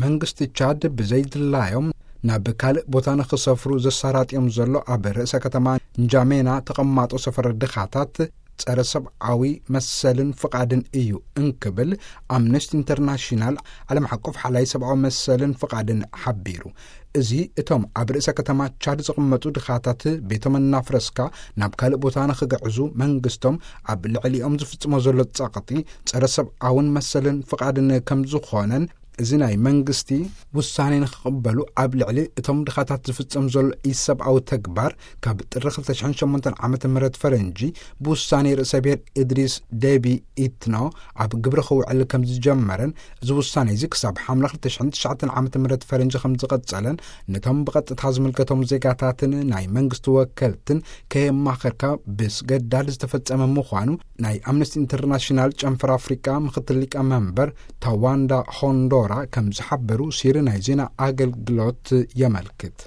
መንግስቲ ቻድ ብዘይድላዮም ናብ ካልእ ቦታ ንኽሰፍሩ ዘሳራጥዮም ዘሎ ኣብ ርእሰ ከተማ ንጃሜና ተቐማጦ ሰፈረ ድኻታት ጸረ ሰብኣዊ መሰልን ፍቓድን እዩ እንክብል ኣምነስቲ ኢንተርናሽናል፣ ዓለም ሓቆፍ ሓላይ ሰብኣዊ መሰልን ፍቓድን ሓቢሩ። እዚ እቶም ኣብ ርእሰ ከተማ ቻድ ዝቕመጡ ድኻታት ቤቶም እናፍረስካ ናብ ካልእ ቦታ ንኽግዕዙ መንግስቶም ኣብ ልዕሊኦም ዝፍጽሞ ዘሎ ጸቕጢ ጸረ ሰብኣውን መሰልን ፍቓድን ከም ዝኾነን፣ እዚ ናይ መንግስቲ ውሳኔ ንኽቕበሉ ኣብ ልዕሊ እቶም ድኻታት ዝፍጸም ዘሎ ኢሰብኣዊ ተግባር ካብ ጥሪ ክልተ ሽሕን ሸሞንተን ዓመተ ምህረት ፈረንጂ ብውሳኔ ርእሰ ብሔር እድሪስ ደቢ ኢትኖ ኣብ ግብሪ ክውዕል ከም ዝጀመረን፣ እዚ ውሳኔ እዚ ክሳብ ሓምለ ክልተ ሽሕን ትሽዓተን ዓመተ ምህረት ፈረንጂ ከም ዝቐጸለን፣ ነቶም ብቐጥታ ዝምልከቶም ዜጋታትን ናይ መንግስቲ ወከልትን ከየማኸርካ ብስገዳድ ዝተፈጸመ ምዃኑ ናይ ኣምነስቲ ኢንተርናሽናል ጨንፈር ኣፍሪቃ ምኽትል ሊቀ መንበር ታዋንዳ ሆንዶራ ከም ዝሓበሩ ሲሪ ናይ ዜና ኣገልግሎት የመልክት።